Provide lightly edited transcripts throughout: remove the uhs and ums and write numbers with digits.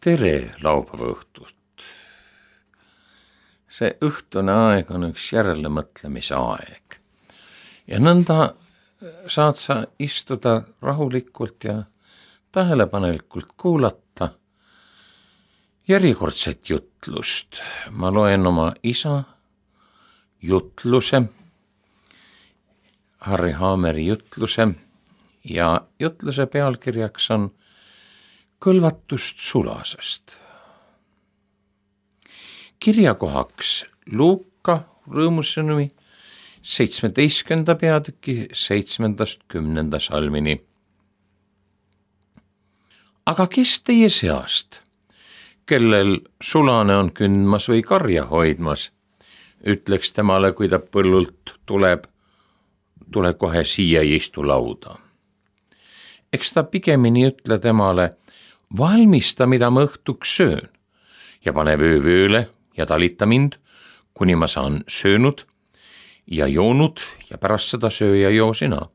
Tere laupäeva õhtust. See õhtune aeg on üks järelemõtlemise aeg. Ja nõnda saad sa istuda rahulikult ja tähelepanelikult kuulata järjekordset jutlust. Ma loen oma isa jutluse, Harry Haameri jutluse ja jutluse pealkirjaks on Kõlvatust sulasest. Kirjakohaks Luuka rõõmusõnumi 17. peatüki 7.–10. salmini. Aga kes teie seast, kellel sulane on kündmas või karja hoidmas, ütleks temale, kui ta põllult tuleb, tule kohe siia ja istu lauda. Eks ta pigemini ütle temale, valmista, mida ma õhtuks söön ja pane vöövööle ja talita mind, kuni ma saan söönud ja joonud ja pärast seda söö ja joo sina.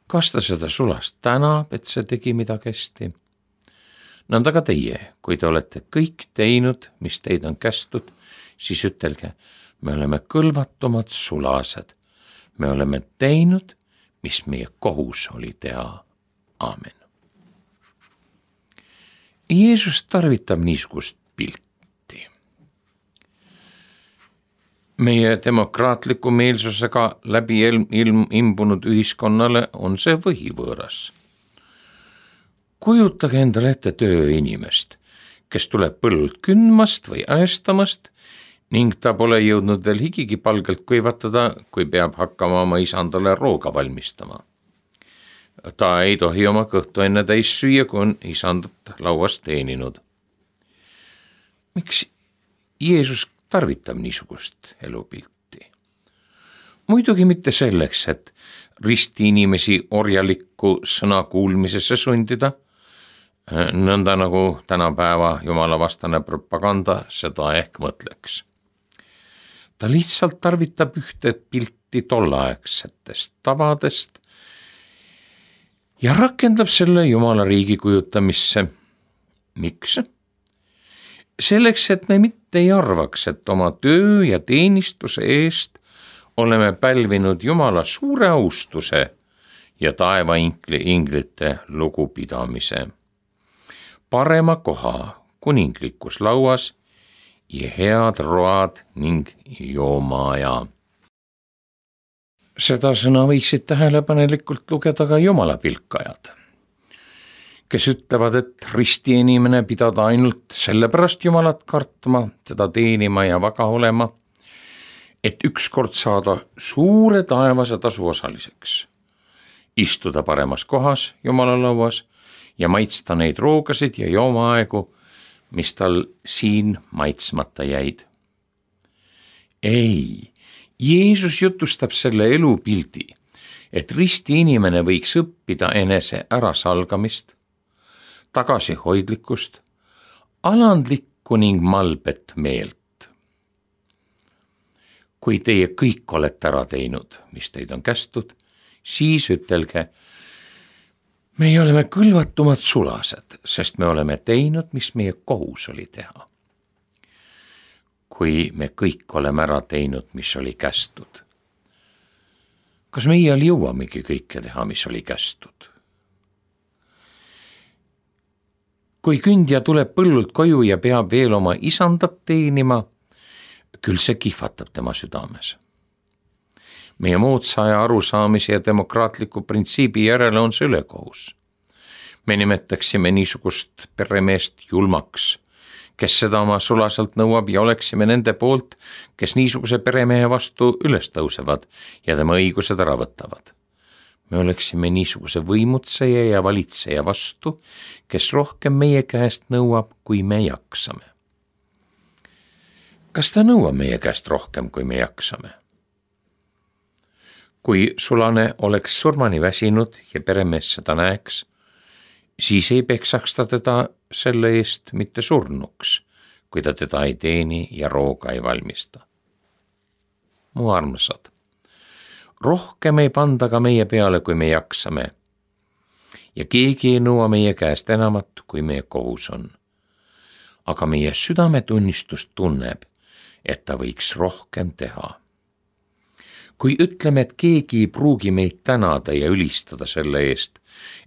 Kas ta seda sulast tänab, et see tegi midagi hästi? Nõnda ka teie, kui te olete kõik teinud, mis teid on kästud, siis ütelge, me oleme kõlvatumad sulased. Me oleme teinud, mis meie kohus oli teha. Aamen. Jeesus tarvitab niisugust pilti. Meie demokraatliku meelsusega läbi imbunud ühiskonnale on see võhivõõras. Kujutage endale ette tööinimest, kes tuleb põllult kündmast või äestamast ning ta pole jõudnud veel higigi palgelt kuivatada, kui peab hakkama oma isandale rooga valmistama. Ta ei tohi oma kõhtu enne täis süüa, kui on isandat lauas teeninud. Miks Jeesus tarvitab niisugust elupilti? Muidugi mitte selleks, et risti inimesi orjalikku sõna kuulmisesse sundida, nõnda nagu tänapäeva jumalavastane propaganda seda ehk mõtleks. Ta lihtsalt tarvitab ühte pilti tolleaegsetest tavadest ja rakendab selle Jumala riigi kujutamisse. Miks? Selleks, et me mitte ei arvaks, et oma töö ja teenistuse eest oleme pälvinud Jumala suure austuse ja taevainglite lugupidamise. Parema koha kuninglikus lauas ja head road ning joomaaja. Seda sõna võiksid tähelepanelikult lugeda ka Jumala pilkajad, kes ütlevad, et risti inimene pidada ainult sellepärast Jumalat kartma, teda teenima ja vaga olema, et ükskord saada suure taevase tasu osaliseks, istuda paremas kohas Jumala lauas ja maitsta neid roogasid ja joomaaegu, mis tal siin maitsmata jäid. Ei, Jeesus jutustab selle elupildi, et risti inimene võiks õppida enese ärasalgamist, tagasihoidlikkust, alandlikku ning malbet meelt. Kui teie kõik olete ära teinud, mis teid on kästud, siis ütelge, meie oleme kõlvatumad sulased, sest me oleme teinud, mis meie kohus oli teha. Kui me kõik oleme ära teinud, mis oli kästud. Kas meie jõuamegi kõike teha, mis oli kästud? Kui kündja tuleb põllult koju ja peab veel oma isandat teenima, küll see kihvatab tema südames. Meie moodsa aja arusaamise ja demokraatliku printsiibi järele on see ülekohus. Me nimetaksime niisugust peremeest julmaks, kes seda oma sulaselt nõuab ja oleksime nende poolt, kes niisuguse peremehe vastu üles tõusevad ja tema õigused ära võtavad. Me oleksime niisuguse võimutseja ja valitseja vastu, kes rohkem meie käest nõuab, kui me jaksame. Kas ta nõuab meie käest rohkem, kui me jaksame? Kui sulane oleks surmani väsinud ja peremees seda näeks, siis ei peksaks ta teda selle eest mitte surnuks, kui ta teda ei teeni ja rooga ei valmista. Mu armsad, rohkem ei panda ka meie peale, kui me jaksame. Ja keegi ei nõua meie käest enamat, kui meie kohus on. aga meie südametunnistus tunneb, et ta võiks rohkem teha. Kui ütleme, et keegi ei pruugi meid tänada ja ülistada selle eest,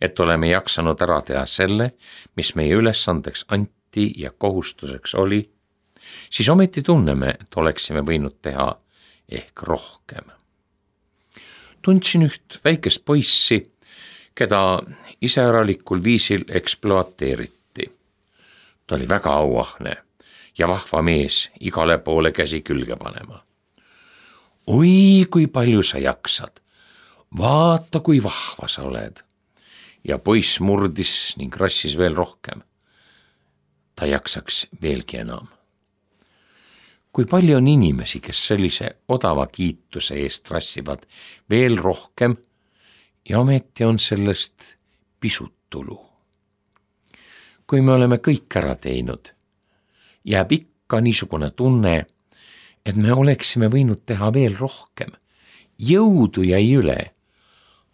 et oleme jaksanud ära teha selle, mis meie ülesandeks anti ja kohustuseks oli, siis ometi tunneme, et oleksime võinud teha ehk rohkem. Tundsin üht väikest poissi, keda iseäralikul viisil ekspluateeriti. Ta oli väga auahne ja vahva mees, igale poole käsi külge panema. Oi, kui palju sa jaksad, vaata, kui vahva sa oled. Ja poiss murdis ning rassis veel rohkem. Ta jaksaks veelgi enam. Kui palju on inimesi, kes sellise odava kiituse eest rassivad veel rohkem ja ometi on sellest pisut tulu. Kui me oleme kõik ära teinud, jääb ikka niisugune tunne, et me oleksime võinud teha veel rohkem. Jõudu jäi üle,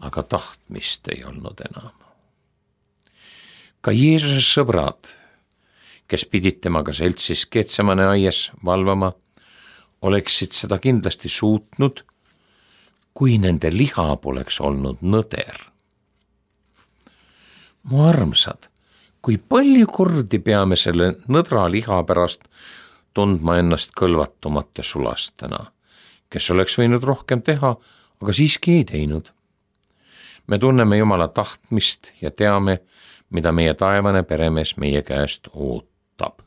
aga tahtmist ei olnud enam. Ka Jeesuse sõbrad, kes pidid temaga seltsis Getsemane aias valvama, oleksid seda kindlasti suutnud, kui nende liha poleks olnud nõder. Mu armsad, kui palju kordi peame selle nõdra liha pärast tundma ennast kõlvatumate sulastena, kes oleks võinud rohkem teha, aga siiski ei teinud. Me tunneme Jumala tahtmist ja teame, mida meie taevane peremees meie käest ootab.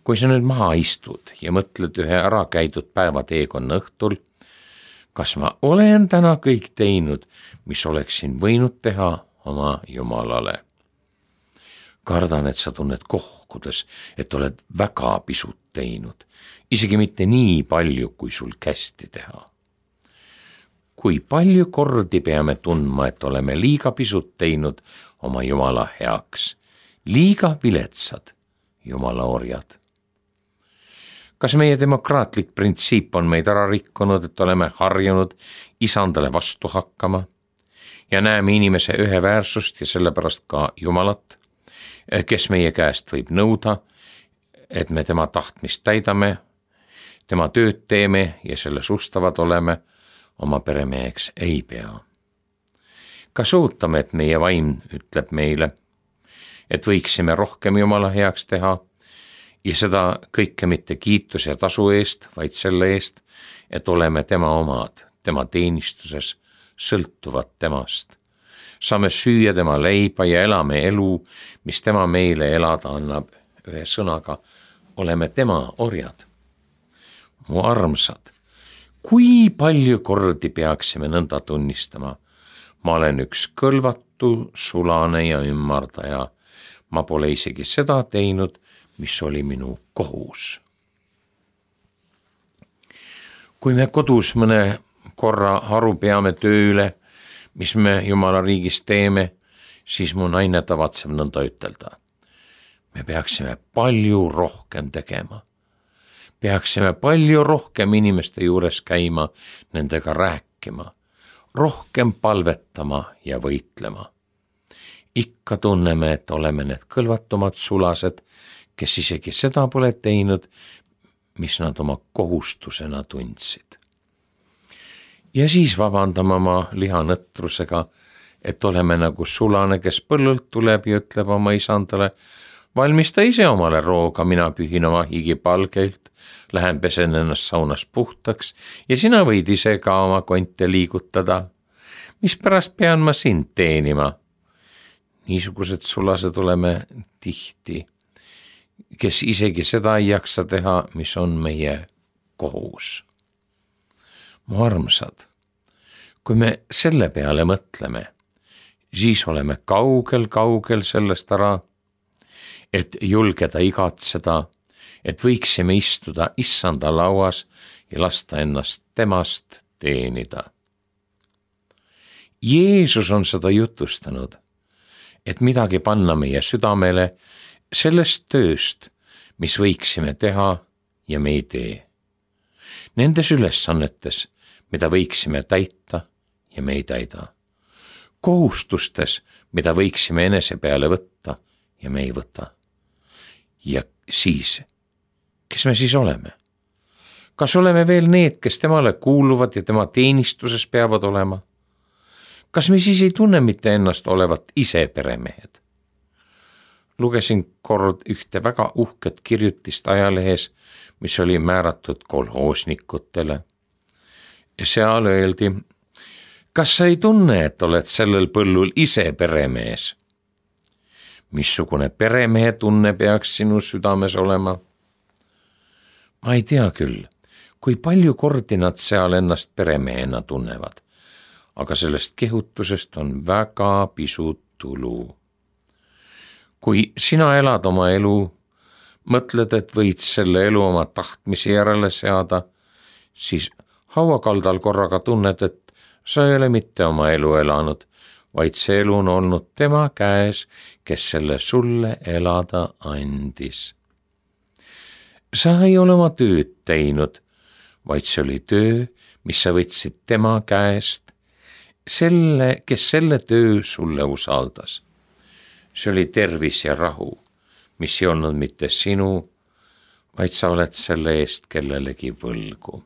Kui sa nüüd maha istud ja mõtled ühe ära käidud päevateekonna õhtul, kas ma olen täna kõik teinud, mis oleksin võinud teha oma Jumalale? Kardan, et sa tunned kohkudes, et oled väga pisut teinud, isegi mitte nii palju, kui sul kästi teha. Kui palju kordi peame tundma, et oleme liiga pisut teinud oma Jumala heaks, liiga viletsad Jumala orjad. Kas meie demokraatlik printsiip on meid ära rikkunud, et oleme harjunud isandale vastu hakkama ja näeme inimese üheväärsust ja sellepärast ka Jumalat, kes meie käest võib nõuda, et me tema tahtmist täidame, tema tööd teeme ja selles ustavad oleme, oma peremeheks ei pea. Kas ootame, et meie vaim ütleb meile, et võiksime rohkem Jumala heaks teha ja seda kõike mitte kiitus ja tasu eest, vaid selle eest, et oleme tema omad, tema teenistuses, sõltuvad temast. Saame süüa tema leiba ja elame elu, mis tema meile elada annab. Ühe sõnaga, oleme tema orjad. Mu armsad, kui palju kordi peaksime nõnda tunnistama? Ma olen üks kõlvatu, sulane ja ümmardaja. Ma pole isegi seda teinud, mis oli minu kohus. Kui me kodus mõne korra haru peame tööle, mis me Jumala riigis teeme, siis mu naine tavatseb nõnda ütelda. Me peaksime palju rohkem tegema. Peaksime palju rohkem inimeste juures käima, nendega rääkima, rohkem palvetama ja võitlema. Ikka tunneme, et oleme need kõlvatumad sulased, kes isegi seda pole teinud, mis nad oma kohustusena tundsid. Ja siis vabandame oma lihanõtrusega, et oleme nagu sulane, kes põllult tuleb ja ütleb oma isandale, valmista ise omale rooga, mina pühin oma higipalgeilt, lähen pesen ennast saunas puhtaks ja sina võid ise ka oma konte liigutada. Mispärast pean ma sind teenima? Niisugused sulased oleme tihti, kes isegi seda ei jaksa teha, mis on meie kohus. Mu armsad, kui me selle peale mõtleme, siis oleme kaugel sellest ära, et julgeda igatseda, et võiksime istuda issanda lauas ja lasta ennast temast teenida. Jeesus on seda jutustanud, et midagi panna meie südamele sellest tööst, mis võiksime teha ja me ei tee. Nendes ülesannetes, mida võiksime täita ja me ei täida. Kohustustes, mida võiksime enese peale võtta ja me ei võta. Ja siis, kes me siis oleme? Kas oleme veel need, kes temale kuuluvad ja tema teenistuses peavad olema? Kas me siis ei tunne mitte ennast olevat ise peremehed? Lugesin kord ühte väga uhket kirjutist ajalehes, mis oli määratud kolhoosnikutele. Seal öeldi, kas sa ei tunne, et oled sellel põllul ise peremees? Missugune peremehe tunne peaks sinu südames olema? Ma ei tea küll, kui palju kordi nad seal ennast peremehena tunnevad, aga sellest kehutusest on väga pisut tulu. Kui sina elad oma elu, mõtled, et võid selle elu oma tahtmise järele seada, siis hauakaldal korraga tunned, et sa ei ole mitte oma elu elanud, vaid see elu on olnud tema käes, kes selle sulle elada andis. Sa ei ole oma tööd teinud, vaid see oli töö, mis sa võtsid tema käest, kes selle töö sulle usaldas. See oli tervis ja rahu, mis ei olnud mitte sinu, vaid sa oled selle eest kellelegi võlgu.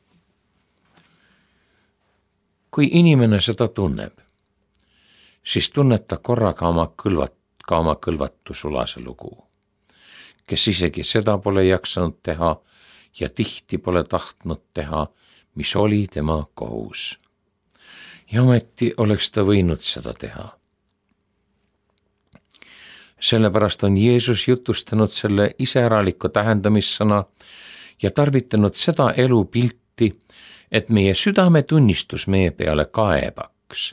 Kui inimene seda tunneb, siis tunneb ta korraga oma kõlvatu sulase lugu, kes isegi seda pole jaksanud teha ja tihti pole tahtnud teha, mis oli tema kohus. Ja ometi oleks ta võinud seda teha. Sellepärast on Jeesus jutustanud selle iseäraliku tähendamissõna ja tarvitanud seda elupilti, et meie südametunnistus meie peale kaebaks.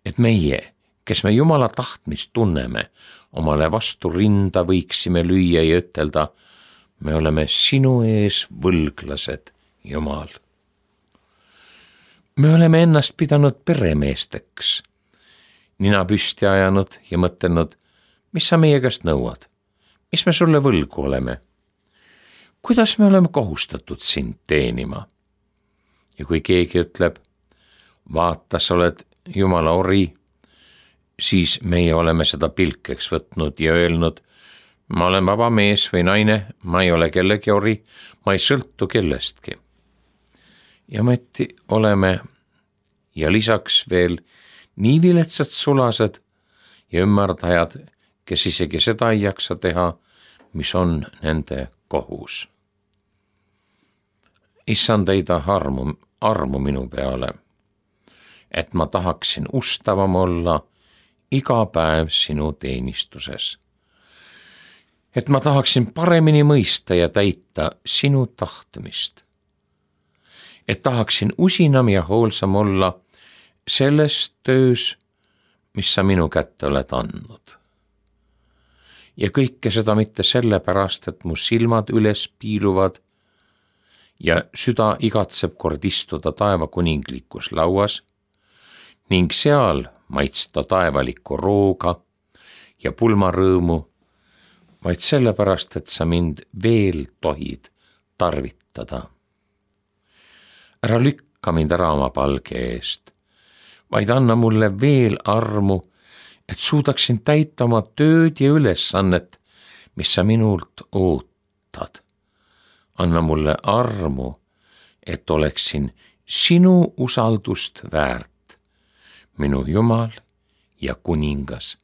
Et meie, kes me Jumala tahtmist tunneme, omale vastu rinda võiksime lüüa ja ütelda, me oleme sinu ees võlglased, Jumal. Me oleme ennast pidanud peremeesteks, nina püsti ajanud ja mõtelnud, mis sa meie käest nõuad, mis me sulle võlgu oleme, kuidas me oleme kohustatud sind teenima. Ja kui keegi ütleb, vaata, sa oled Jumala ori, siis meie oleme seda pilkeks võtnud ja öelnud, ma olen vaba mees või naine, ma ei ole kellegi ori, ma ei sõltu kellestki. Ja ometi oleme ja lisaks veel nii viletsad sulased ja ümmerdajad, kes isegi seda ei jaksa teha, mis on nende kohus. Issand, heida armu minu peale, et ma tahaksin ustavam olla iga päev sinu teenistuses. Et ma tahaksin paremini mõista ja täita sinu tahtmist. Et tahaksin usinam ja hoolsam olla selles töös, mis sa minu kätte oled andnud. Ja kõike seda mitte sellepärast, et mu silmad üles piiluvad ja süda igatseb kord istuda taeva kuninglikus lauas ning seal maitsta taevalikku rooga ja pulmarõõmu, vaid sellepärast, et sa mind veel tohid tarvitada. Ära lükka mind ära oma palge eest, vaid anna mulle veel armu, et suudaksin täita oma tööd ja ülesannet, mis sa minult ootad. Anna mulle armu, et oleksin sinu usaldust väärt, minu Jumal ja kuningas.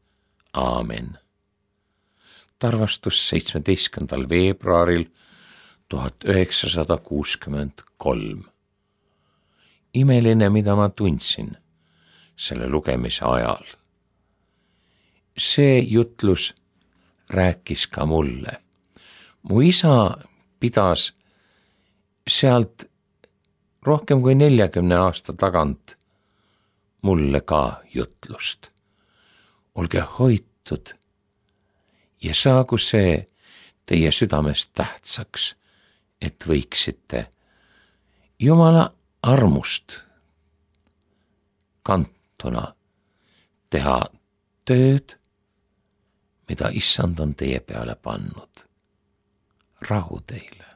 Aamen. Tarvastus 17. veebruaril 1963. Imeline, mida ma tundsin selle lugemise ajal. See jutlus rääkis ka mulle. Mu isa pidas sealt rohkem kui 40 aasta tagant mulle ka jutlust. Olge hoitud ja saagu see teie südamest tähtsaks, et võiksite Jumala armust kantuna teha tööd, mida Issand on teie peale pannud. Rahu teile.